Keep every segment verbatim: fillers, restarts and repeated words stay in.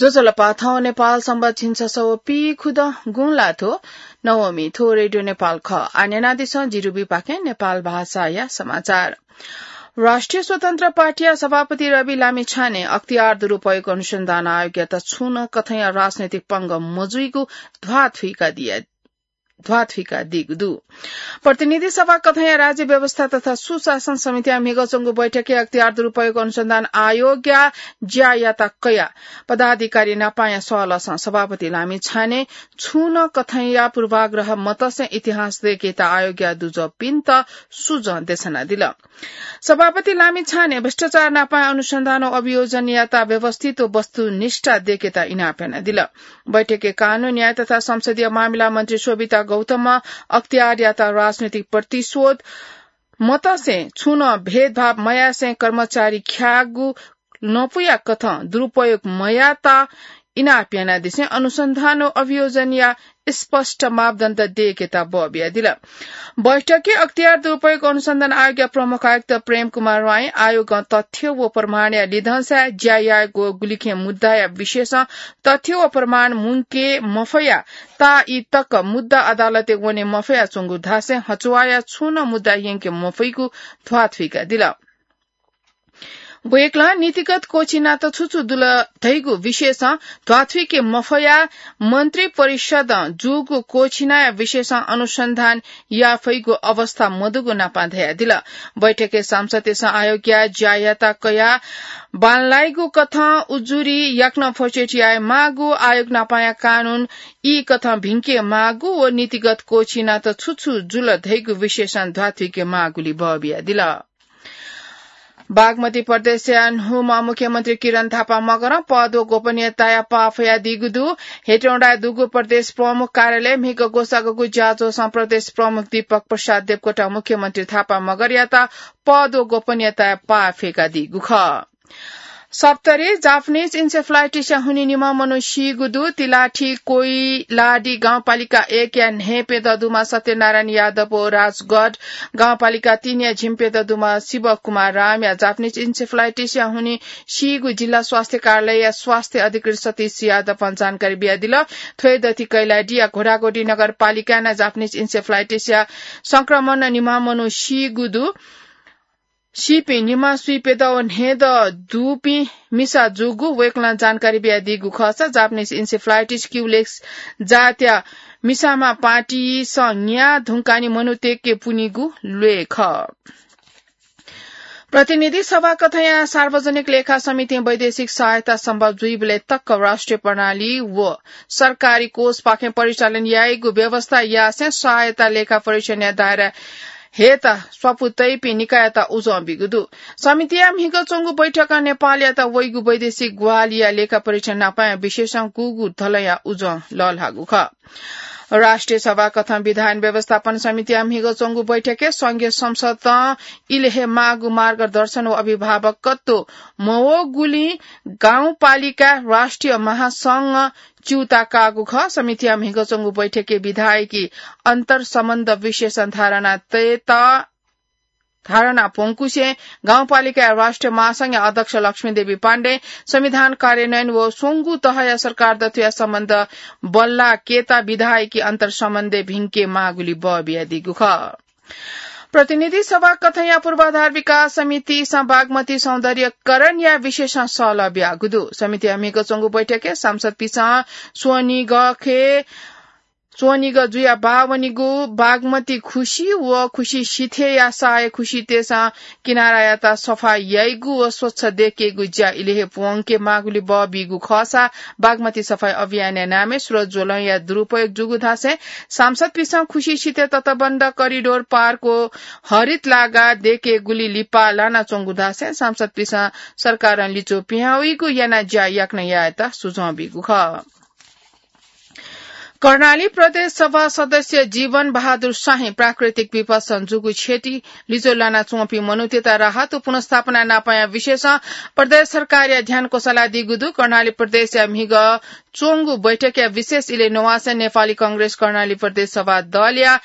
ज्वजलपा, थौं नेपाल संवत् झिंछसः व पीखुदँ गुंलाथ्व नवमी। थ्व रेडियो नेपाल खः। आः न्यनादिसँ जिरुबी पाखें नेपाल भाषाया समाचार। राष्ट्रिय स्वतन्त्र पार्टीया सभापति रवि लामिछाने अख्तियार दुरुपयोग अनुसन्धान आयोगयात छुं नं कथंया राजनैतिक पंगः मजुइगु ध्वाथुइका दिया ध्वाथुइका दीगु दु। प्रतिनिधि सभा कथंया राज्य व्यवस्था तथा सुशासन समितिया म्हिगः च्वंगु बैठकय् अख्तियार दुरुपयोग अनुसन्धान आयोगया ज्यायात कयाः पदाधिकारी नापांया सहलहसं सभापति लामिछाने छुं नं कथंया पूर्वाग्रह मतसे इतिहास दय्केत आयोगया दुजःपिन्त सुझाव देछानादिल। सभापति लामिछाने भ्रष्टाचार नापां अनुसन्धान व अभियोजनयात व्यवस्थित व वस्तुनिष्ठ दय्केत इनाप यानादिल। बैठकय् कानून, न्याय तथा संसदीय मामिला मन्त्री शोभिता गौतमं अख्तियारयात राजनैतिक प्रतिशोध मतसे छुं नं भेदभाव मयासें कर्मचारी ख्याःगु न्वपुया कथं दुरुपयोग मयात इनाप यानादिसें अनुसन्धान व अभियोजनया स्पष्ट मापदण्ड दय्केत बः बियादिल। बैठकय् अख्तियार दुरुपयोग अनुसन्धान आयोगया प्रमुख आयुक्त प्रेम कुमार राय आयोगं तथ्य व प्रमाणया लिधंसाय् ज्या यायेगु गुलिखें मुद्दाया विषयसं तथ्य व प्रमाण मुंके मफया ता ई तक मुद्दा अदालतय् वने मफया च्वंगु धासें हचुवाया छुं नं मुद्दा यंके मफइगु ध्वाथुइका दिल। वय्कलं नीतिगत क्वःछिनात छु छु जुल धइगु विषयसं ध्वाथुइके मफया मन्त्री परिषदं जूगु क्वःछिनाया विषयसं अनुसन्धान याये फइगु अवस्था मदुगु नापां धयादिल। बैठकय् सांसदतय्सं आयोगया ज्यायात कयाः बांलाइगु कथं उजुरी याकनं फोर्चेट याये माःगु, आयोग नापांया कानून ई कथं भिंके माःगु व नीतिगत क्वःछिनात छु छु जुल धइगु विषयसं ध्वाथुइके माःगुली बः बियादिल। बागमती प्रदेशया न्हूम्ह मुख्यमन्त्री किरण थापा मगरं पद व गोपनीयताया पाः फयादीगु दु। हेटौँडाय् दुगु प्रदेश प्रमुख कार्यालयय् म्हिगः ग्वसाःगु ज्याझ्वलय् प्रदेश प्रमुख दीपक प्रसाद देवकोटां मुख्यमन्त्री थापा मगरयात पद व गोपनीयताया पाः फय्कादीगु खः। सप्तरी जापानिज इन्सेफलाइटिसया हुनिं निम्ह मनू सीगु दु। तिलाठी कोइलाडी गाउँपालिका एकया न्हय्प्यदँ दुम्ह सत्यनारायण यादव व राजगढ गाउँपालिका तीनया झिंप्यदँ दुम्ह शिवकुमार रामया जापानिज इन्सेफलाइटिसया हुनिं सीगु जिल्ला स्वास्थ्य कार्यालयया स्वास्थ्य अधिकृत सतीश यादवं जानकारी बियादिल। थ्वय् दथि कैलाडीया घोडाघोडी नगरपालिकाय् नं जापानिज इन्सेफलाइटिसया संक्रमणं निम्ह मनू सीगु दु। सीपिं निम्ह स्वीप्यदँ व न्हय्दँ दुपिं मिसा जूगु वय्कलं जानकारी बियादीगु खःसा जापानिज इन्सेफलाइटिस क्युलेक्स जातया मिसाम्ह पार्टीसं न्याः धुंकाः नि मनूतय्के पुनिगु ल्वय् खः। प्रतिनिधि सभा कथंया सार्वजनिक लेखा समितिं वैदेशिक सहायता सम्भव जुइबलय् तक राष्ट्रिय प्रणाली व सरकारी कोषपाखें परिचालन याइगु व्यवस्था यासें सहायता लेखा परीक्षणया दायरा हयेत स्वापू तइपिं निकाययात उजं बीगु दु। समितिया म्हिगः च्वंगु बैठकं नेपालयात वइगु वैदेशिक ग्वाहालिया लेखा परीक्षण नापांया विषयसं गुगु धलंया उजं लःल्हाःगु खः। राष्ट्रिय सभा कथं विधान व्यवस्थापन समितिया म्हिगः च्वंगु बैठकय् संघीय संसदं इलय् हे माःगु मार्गदर्शन व अभिभावकत्व मवःगुलिं गाउँपालिका राष्ट्रिय महासंघ च्यूताः काःगु खः। समितिया म्हिगः च्वंगु बैठकय् विधायकी अन्तर्सम्बन्ध विषयसं धारणा तयेत धारणा प्वंकुसें गाउँपालिकाया राष्ट्रिय महासंघया अध्यक्ष लक्ष्मीदेवी पाण्डें संविधान कार्यान्वयन व स्वंगू तहया सरकार दथुया सम्बन्ध बल्लाकेत विधायकी अन्तर्सम्बन्धय् भिंके माःगुली बः बियादीगु खः। प्रतिनिधि सभा कथंया पूर्वाधार विकास समितिसं बागमती सौन्दर्यकरणया विषयसं सहलह बियागु दु। समितिया म्हिगः च्वंगु बैठकय् सांसदपिसं स्वनिगःखे स्वनिगः जुया बाः वनीगु बागमती खुसी व खुसी सिथय्या साय खुसीतय्सं किनारायात सफा याइगु व स्वच्छ दय्केगु ज्या इलय् हे प्वंके माःगुली बः बीगु खःसा बागमती सफाई अभियानया नामय् स्रोत ज्वलंया दुरुपयोग जूगु धासें सांसदपिसं खुसी सिथय् तटबन्ध करिडोर पार्क व हरित लागा दय्केगुली लिपा लानाच्वंगु धासें सांसदपिसं सरकारं लिच्वः पिहां वइगु यानाः ज्या याकनं यायेत सुझाव बीगु खः। कर्णाली प्रदेश सभा सदस्य जीवन बहादुर शाहीं प्राकृतिक विपत्सं जूगु क्षति लिच्वः लानाच्वंपिं मनूतय्त राहत व पुनर्स्थापना नापंया विषयसं प्रदेश सरकारया ध्यान क्वसालादीगु दु। कर्णाली प्रदेशया म्हिगः च्वंगु बैठकया विशेष इलय् नवासें नेपाली कांग्रेस कर्णाली प्रदेश सभा दलया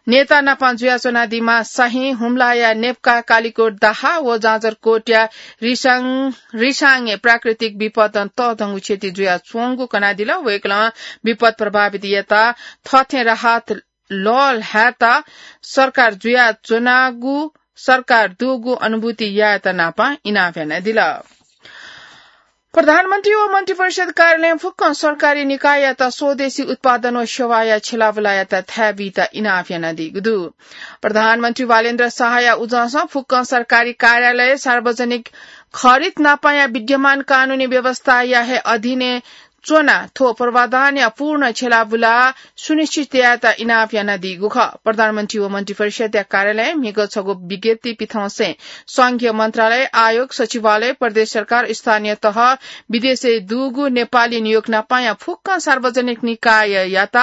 नेता नापं जुयाच्वनादीम्ह शाही हुम्लाया नेप्का, कालिकोट दाहा व जाजरकोटया रिसाङ, रिसाङय् प्राकृतिक विपदं तःधंगु क्षति जुयाच्वंगु कनादिल। वय्कलं विपद प्रभावितयात थःथें राहत लःल्हायेत सरकार जुयाच्वनागु, सरकार दुगु अनुभूति यायेत नापं इनाप यानादिल। प्रधानमन्त्री व मन्त्रिपरिषद कार्यालयं फुक्कं सरकारी निकाययात स्वदेशी उत्पादन व सेवाया छ्यलाबुलायात थाय् बीत इनाप यानादीगु दु। प्रधानमन्त्री बालेन्द्र शाहया उजंसं फुक्कं सरकारी कार्यालय सार्वजनिक खरिद नापंया विद्यमान कानूनी व्यवस्थाया हे अधीनय् च्वनाः थ्व प्रावधानया पूर्ण छ्यलाबुला सुनिश्चित यायेत इनाप यानादीगु खः। प्रधानमन्त्री व मन्त्रिपरिषदया कार्यालयं म्हिगः छगू विज्ञप्ति पिथंसें संघीय मन्त्रालय, आयोग, सचिवालय, प्रदेश सरकार, स्थानीय तह, विदेशय् दुगु नेपाली नियोग नापंया फुक्कं सार्वजनिक निकाययात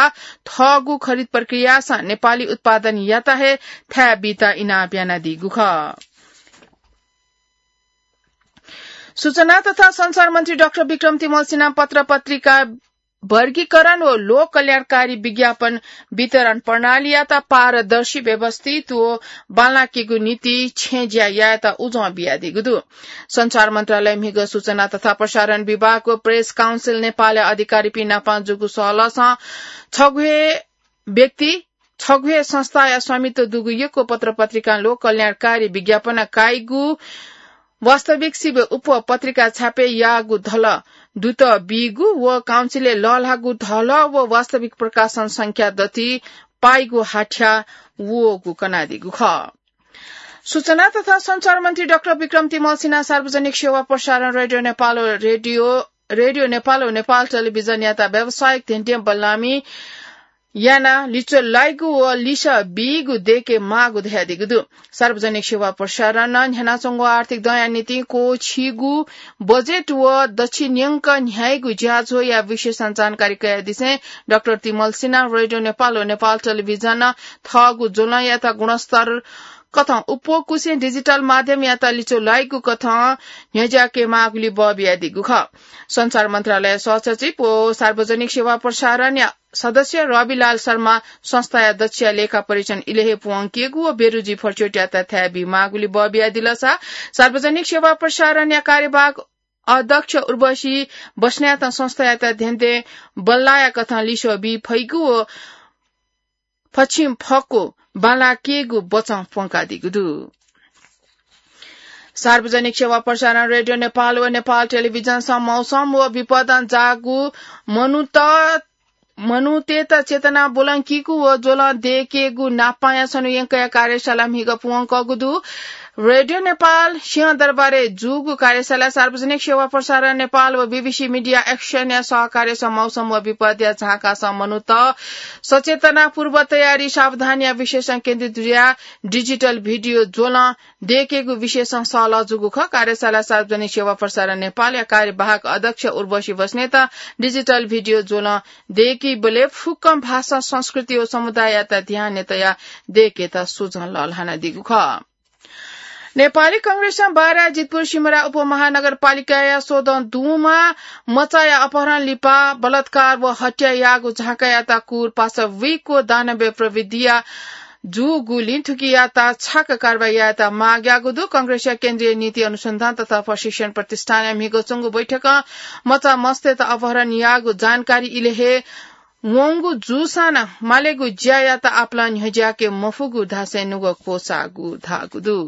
थःगु खरिद प्रक्रियासं नेपाली उत्पादनयात हे थाय् बीत इनाप यानादीगु खः। सूचना तथा सञ्चार मन्त्री डाक्टर विक्रम तिमल सिन्हां पत्र पत्रिका वर्गीकरण व लोक कल्याणकारी विज्ञापन वितरण प्रणालीयात पारदर्शी, व्यवस्थित व बांलाकेगु निंतिं छेँज्या यायेत उजं बियादीगु दु। सञ्चार मन्त्रालय म्हिगः सूचना तथा प्रसारण विभाग व प्रेस काउन्सिल नेपालया अधिकारीपिं नापं जूगु सहलहसं छगू हे व्यक्ति, छगू हे संस्थाया स्वामित्व दुगु यक्व पत्र पत्रिकां लोक कल्याणकारी विज्ञापन काइगु, वास्तविक सिबय् उप पत्रिका छापे याःगु धलः दुत बीगु व काउन्सिलय् लःल्हाःगु धलः व वास्तविक प्रकाशन संख्या दथुइ पाइगु हाथ्या वःगु कनादीगु खः। सूचना तथा सञ्चार मन्त्री डाक्टर विक्रम तिमल सिन्हां सार्वजनिक सेवा प्रसारण रेडियो नेपाल व रेडियो, रेडियो नेपाल व नेपाल टेलिभिजनयात व्यावसायिक धेंधें बल्लामि यानाः लिच्वः लाइगु व लिसः बीगु दय्के माःगु धयादीगु दु। सार्वजनिक सेवा प्रसारणं न्ह्यानाच्वंगु आर्थिक दँया निंतिं क्वःछिइगु बजेट व दच्छि न्यंक न्ह्याइगु ज्याझ्वःया विषयसं जानकारी कयादिसें डाक्टर तिमल सिन्हां रेडियो नेपाल व नेपाल टेलिभिजनं थःगु ज्वलंयात गुणस्तर कथं उप्वःकुसें डिजिटल माध्यमयात लिच्वः लाइगु कथं न्ह्यज्याके माःगुलिइ बः बियादीगु खः। सञ्चार मन्त्रालय सहसचिव व सार्वजनिक सेवा प्रसारणया सदस्य रविलाल शर्मा संस्थाया दच्छिया लेखा परीक्षण इलय् हे पूवंकेगु व बेरुजी फरचोटयात थाय् बी माःगुलिइ बः बियादिलसा सार्वजनिक सेवा प्रसारणया कार्यवाहक अध्यक्ष उर्वशी बस्नेतं संस्थायात धेंधें बल्लाया कथं लिसः बी फइगु व फछिं फक्व बांलाकेगु बचं प्वंकादीगु दु। सार्वजनिक सेवा प्रसारण रेडियो नेपाल व नेपाल टेलिभिजनसं मौसम व विपदं जाःगु मनूत, मनूतय्त चेतना ब्वलंकीगु व ज्वलं दय्केगु नापंया छन्हु यंकया कार्यशाला म्हिगः पूवंकूगु दु। रेडियो नेपाल सिंहदरबारय् जूगु कार्यशालाय् सार्वजनिक सेवा प्रसारण नेपाल व बीबीसी मिडिया एक्सनया सहकार्यसं मौसम व विपदया झांकासं मनूत सचेतना, पूर्व तयारी, सावधानीया विषयसं केन्द्रित जुयाः डिजिटल भिडियो ज्वलं दय्केगु विषयसं सहलह जूगु खः। कार्यशालाय् सार्वजनिक सेवा प्रसारण नेपालया कार्यवाहक अध्यक्ष उर्वशी बस्नेतं डिजिटल भिडियो ज्वलं दय्कीबलय् फुक्कं भाषा, संस्कृति व समुदाययात ध्यानय् तयाः दय्केत सुझं लःल्हानादीगु खः। नेपाली कांग्रेसं बारा जितपुर सिमरा उपमहानगरपालिकाया सोदँ दुमा मचाया अपहरण लिपा बलात्कार व हत्या याःगु झांकायात कुर पासा वइगु दानवय् प्रविधिया जूगुलिं थुकियात छाक कारवाही यायेत माग याःगु दु। कांग्रेसया केन्द्रीय नीति अनुसन्धान तथा प्रशिक्षण प्रतिष्ठानया म्हिगः च्वंगु बैठकं मचा मस्तय्त अपहरण याःगु जानकारी इलय् हे वंगु जूसां नं मालेगु ज्यायात आपालं न्ह्यज्याके मफुगु धासें नुगः क्वसाःगु धाःगु दु।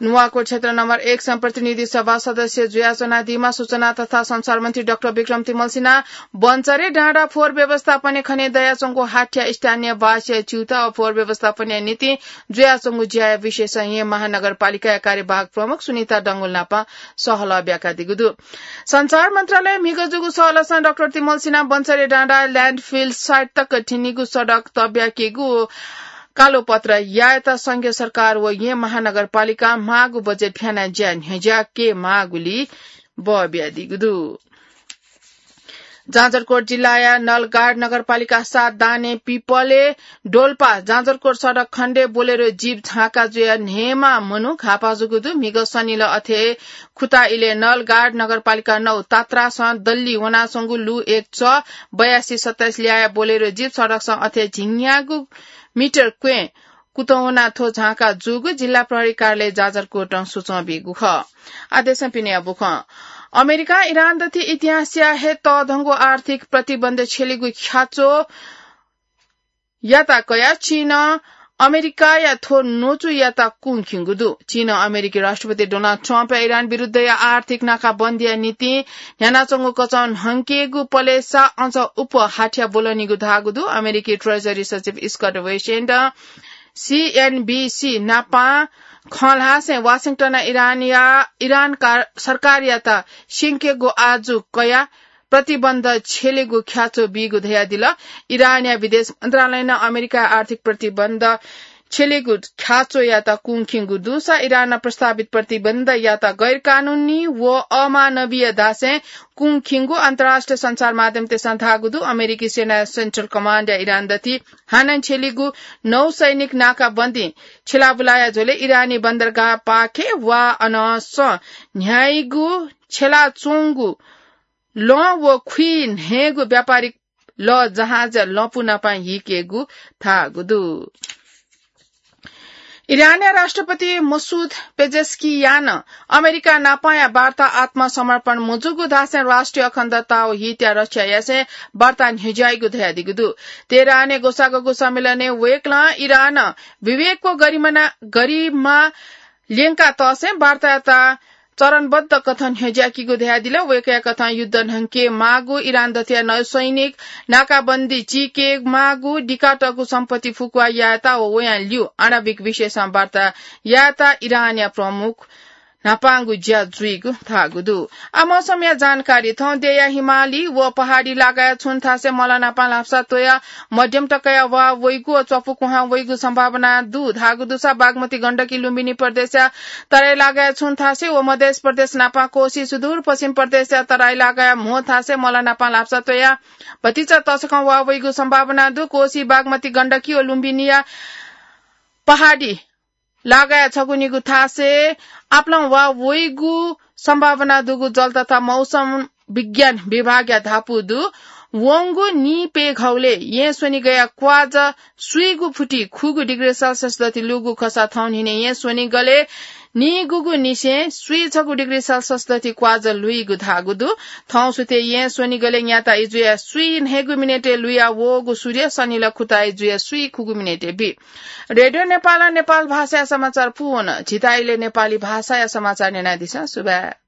नुवाकोट क्षेत्र नम्बर एक सं प्रतिनिधि सभा सदस्य जुयाच्वनादीम्ह सूचना तथा सञ्चार मन्त्री डाक्टर विक्रम तिमल सिन्हां बन्चरे डाँडा फोहोर व्यवस्थापनय् खने दयाच्वंगु हाथ्या स्थानीयवासीया च्यूताः व फोहोर व्यवस्थापनया निंतिं जुयाच्वंगु ज्याया विषयसं येँ महानगरपालिकाया कार्यवाहक प्रमुख सुनिता डंगोल नाप सहलह ब्याकादीगु दु। सञ्चार मन्त्रालय म्हिगः जूगु सहलहसं डाक्टर तिमल सिन्हां बन्चरे डाँडा ल्याण्डफिल साइट तक थिनिगु सडक तब्याकीगु कालोपत्र यायेत संघीय सरकार व येँ महानगरपालिकां माःगु बजेट फ्यानाः ज्या न्ह्यज्याके माःगुलिइ बः बियादीगु दु। जाजरकोट जिल्लाया नलगाड नगरपालिका सात दाने पिपले डोल्पा जाजरकोट सडक खण्डे बोलेरो जीप झाँका जुया न्हेमा मनू घापा जूगु दु। म्हिगः सनिल अथे खुता इले नलगाड नगरपालिका नौ तात्रासं दल्ली वनासंगु लु एक च बयासी सत्ताइस ल्याया बोलेरो जीप सडकसं अथे झिंग्यागु मिटर क्वें कुतवना थ्व झाँका जूगु जिल्ला प्रहरी कार्यालय जाजरकोटं सूचं बीगु खः। आदेशं पिने बुखं अमेरिका इरान दथि इतिहासया हे तःधंगु आर्थिक प्रतिबन्ध छेलिगु ख्याचो याता कया चीनं अमेरिकाया थ्व नोचु याता कुंखिंगु दु। चीनं अमेरिकी राष्ट्रपति डोनाल्ड ट्रम्पया इरान विरुद्धया आर्थिक नाकाबन्दीया निंतिं न्ह्यानाच्वंगु कचं न्हंकेगु पलेसा अझ उप हाथ्या ब्वलनीगु धाःगु दु। अमेरिकी ट्रेजरी सचिव स्कट वेसेन्डं सीएनबीसी नापां खँ ल्हासें वाशिंगटनं इरानया, इरान का-, सरकारयात स्यंकेगु आजु कया प्रतिबन्ध छेलेगु ख्याचो बीगु धयादिल। इरानया विदेश मन्त्रालयनं अमेरिकाया आर्थिक प्रतिबन्ध छेलेगु ख्याचोयात कुंखिंगु दुसा इरानं प्रस्तावित प्रतिबन्धयात गैरकानूनी व अमानवीय धासें कुंखिंगु अन्तर्राष्ट्रिय सञ्चार माध्यमतय्सं धाःगु दु। अमेरिकी सेनाया सेन्ट्रल कमान्डया इरान दथि हानं छेलिगु नौसैनिक नाकाबन्दी छेलाबुलाया झ्वलय् इरानी बन्दरगाह पाखे वा अनंसं न्ह्याइगु छेलाच्वंगु लं व खुइ न्हय्गु व्यापारिक लः जहाज लँपु नापं हीकेगु धाःगु दु। इरानया राष्ट्रपति मसूद पेजेस्कियानं अमेरिका नापांया वार्ता आत्मसमर्पण मजूगु धासें राष्ट्रिय अखण्डता व हितया रक्षा यासें वार्ता न्ह्यज्याइगु धयादीगु दु। तेहरानय् ग्वसाःगु सम्मेलनय् वय्कलं इरानं विवेक व गरिमा, गरिमा ल्यंका तःसें वार्तायात चरणबद्ध कथं न्ह्यज्याकीगु धयादिल। वय्कःया कथं युद्ध न्हंके माःगु, इरान दथुया नौसैनिक नाकाबन्दी चीके माःगु, दिकातःगु सम्पत्ति फुक्वा यायेत व वयां ल्यू आणविक विषयसं वार्ता यायेत इरानया प्रमुख न्हापांगु ज्या जुइगु धाःगु दु। आ, मौसमया जानकारी। थौं देय्या हिमाली व पहाडी लागाया छुं थासय् मल न्हापां ल्हापसा त्वया मध्यम तकया वा वइगु व च्वपु कुहां वइगु सम्भावना दु धाःगु दुसा बागमती गण्डकी लुम्बिनी प्रदेशया तराई लागाया छुं थासय् व मधेस प्रदेश न्हापां कोशी सुदूर पश्चिम प्रदेशया तराई लागाया म्हो थासय् मल न्हापां ल्हापसा त्वया भतिचा तसकं वा वइगु सम्भावना दु। कोशी, बागमती गण्डकी व लुम्बिनीया पहाडी लागाया छगू निगू थासय् आपालं वा वइगु सम्भावना दुगु जल तथा मौसम विज्ञान विभागया धापू दु। वंगु नीप्यघौलय् येँ स्वनिगया क्वाज स्वीगु फुति खुगू डिग्री सेल्सियस दथि लूगु खःसा थौं न्हिनय् येँ स्वनिगलय् नीगूगु निसें स्वीछगू डिग्री सेल्सियस दथि क्वाज लुइगु धाःगु दु। थौं सुथय् येँ स्वनिगलय् न्याता इजुया स्वी न्हय्गू मिनेटय् लुया वःगु सूर्य सनिल खुता इजुया स्वी खुगू मिनेटय् बी। रेडियो नेपालं नेपाल भाषाया समाचार पूवन। झीत इलय् नेपाली भाषाया समाचार न्यनादिसँ। सुभाय्।